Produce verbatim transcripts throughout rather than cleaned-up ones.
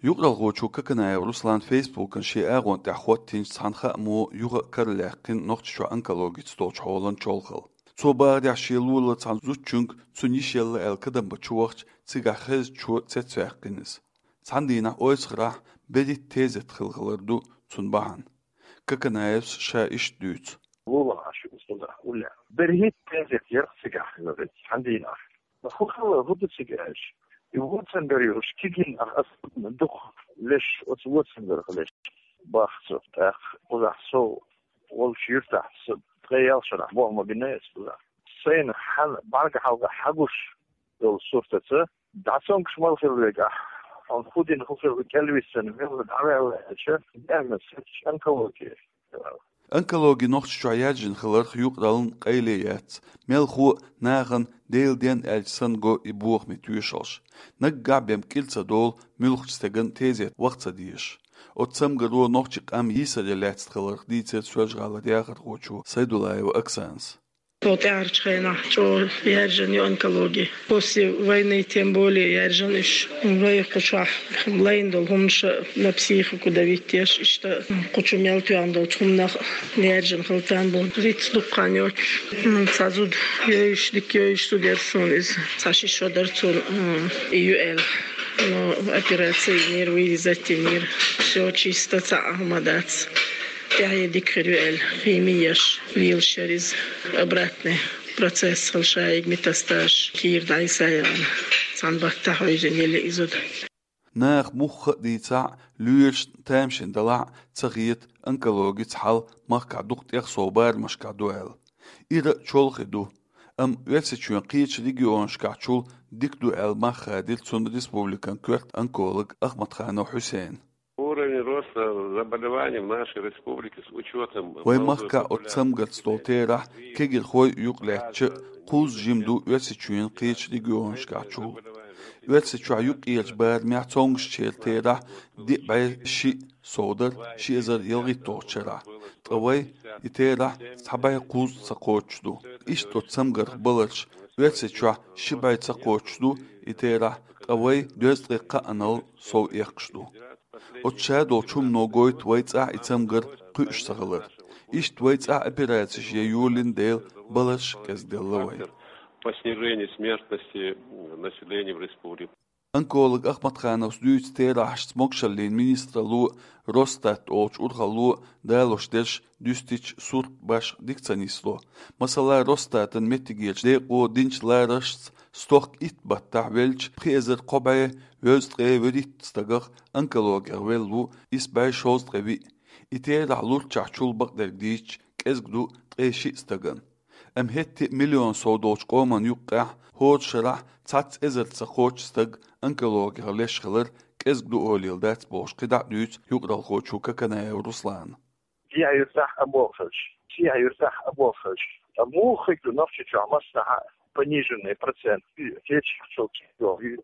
Юкъаралхочо Коканаев Руслана Фейсбукан шен агӀон тӀехь хӀоттийначу цхьана хаамо юха а каралаьккхина Нохчийчохь онкологица долчу хьолан чолхалла. Цо бахарехь, шен лулара цхьана зудчуьнга цуьнан йиша елла аьлла кадам бан чу вахча, цигахь хезачо цецваьккхина иза. Цхьана дийнахь ойсахарахь берхӀитта тезет хилла хилар ду цунна бахьана. Коканаевс ша иштта дуьйцу. Лулахь шу усталахь уллехь. БерхӀитта тезет яра цигахь хилар цхьана дийнахь. ХӀун хилла, хӀун ду цига аьлча? И вон цамгар йолуш кегийна ах ас дукха леш, оцу вон цамгарх леш бах со. ТӀаккха кхузахь со волчу юьртахь со ткъе ялх шарахь болх ма бина аса кхузахь. Сайна хьан бӀаьрга хьалха хьагуш долу суртаца, дӀа цомгуш мала хир вегахь, хьуна хӀун дина хӀун хир ву кӀелвиссина, мелла дӀаваьлла аьлча, диагноз хӀоьттича онкология. Онкологи Нохчийчохь яьржина хиларх юкъараллин къайле яц. Мелхо а нахана Делан денна аьлча санна го и бохаме тоьшаллаш. Наггахь бен кӀира ца долу муьлххачу стеган тезет ваха ца дезаш. Оцу цамгаро нохчийн къам йийсаре лаьцна хиларх дийцира Соьлжа-ГӀалара яхархочо Сайдуллаева Оксанас. Цо тӀаьхьарчу хенахь чӀогӀа яьржина ю онкологи. После войны тем более яьржина уьш. Вай кху чохь лайна долу хӀуманаш на психику давить деш, иштта кху чу мел тоьхна долчу хӀуманах яьржина хила там бу. Риц дуккха йоцуш. М, цхьа зуда йойуш, дика йойуш зуда яра суна иза. Цхьа ши шо дара цунна, м, и ю аьлла. Но операци йинера, вырезать йинера. Всё чисто, цхьа а хӀума дац. ТӀаьхье дика хир ю аьлла, хими еш, лелаш яра иза. Обратный процесс хила шайга, метастазаш, кийра дӀасаяьлла. Цхьана баттахь хьуьйзина елла и зуда. Наха муьлхха а дийцахь а, лоьрашна тамашийна далахь а ца хета онкологица хьал махкахь дукха тӀех сов барамашкахь ду аьлла. Ира а чолхе ду. Амма Оьрсийчоьнан кхечу регионашкахьчул дика ду аьлла мах хадийра цунна республикан коьрта онколога Ахматханов Хьусейна. Уровень роста заболеваний в нашей республике с учётом... Вайн махкахь оцу цамгарца долу терахь, кегийрхой юкъалаьцча, кхузза жима ду Оьрсийчоьнан кхечу регионашкахьчул. Оьрсийчохь юккъерачу барамехь цомгушчеран терахь диъ бӀе шиъ сов дара ши эзар ялхитталгӀачу шарахь. Ткъа вай и терахь цхьа бӀе кхузткъа ца кхочуш ду. Иштта оцу цамгарх баларш: Оьрсийчохь ши бӀе ца кхочуш ду и терахь, ткъа вай дезткъе кхаанал сов эккхаш ду. Оцу шадолчу хӀумано гойту вай цӀахь и цамгар кхуьуш ца хилар. Иштта вай цӀахь операцеш ян йолийна дела баларш кӀезигделла вайн. По снижению смертности населения в республике. Онколог Ахматхановс дуьйцу терахьашца могушаллин министралло а, Росстат олучу урхалло а далош дерш дуьстича, сурт башха дика ца нисло. Масала, Росстатан меттигерчу декъо динчу лараршца, стохка итт баттахь веллачу пхи эзар кхо бӀе везткъе вуьрхӀитта стагах онкологех велла ву исс бӀе шовзткъе виъ. И терахь лурччахьчул, бакъдерг дийцича, кӀезиг ду ткъе шиъ стагана. Амма хӀетте а миллион сов долчу къоман юккъехь хӀора шарахь цхьацца эзар ца кхоччу стаг онкологех леш хилар кӀезиг ду олийла дац бохуш, кхидӀа а дуьйцу юкъаралхочо Коканаев Руслана. Дехьа юьртахь а болхалш, сехьа юьртахь а болхалш. Ткъа муха хир ду Нохчийчохь массанхьа пониженный процент? Кхечахьчул кхидӀа йогӀу.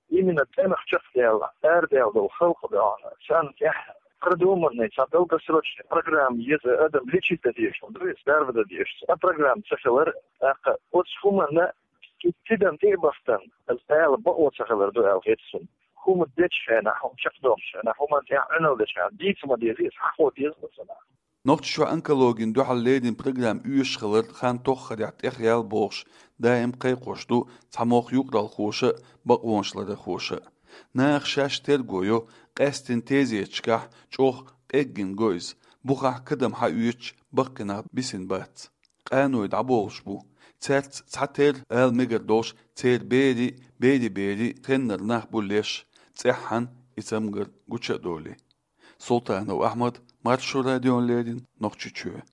Именно тӀемах чекхдаьлла, арадаьлла долу халкъ ду хьуна. Царна тӀехь продуманный, цхьа долгосрочный программа еза, адам лечить дан дезаш хӀума ду иза, дарба дан дезаш. Цхьа программа ца хилар, тӀаккха оцу хӀуманна тидам тӀе а бахтан, аса ала бакъо ца хилар ду аьлла хета суна. ХӀума дечу хенахь, хӀума чекхдоккхучу хенахь, хӀуманна тӀехь Ӏуьнал дечу хенахь, дийца ма деза иза, хьахо деза аса нах. Нохчийчохь онкологина дуьхьал леррина программа оьшуш хилар хан тоххарехь тӀехъяьлла бохуш, даим кхайкхош ду цхьамогӀа юкъаралхоша а, бакъонашларъярхоша а. Наха шаьш терго йо, къаьсттина тезеташкахь чӀогӀа къеггина го иза, бухахь кадам хьаоьцуш баккхий нах бисина бац. Къаной дӀаболуш бу. Цаьрца цхьатерра ала мегар долуш, церан берийн, берийн берийн хеннара нах бу леш, цӀеххьана и цамгар гуча а долий. Султанов Ахьмад, Маршо радиона леррина, Нохчийчоь.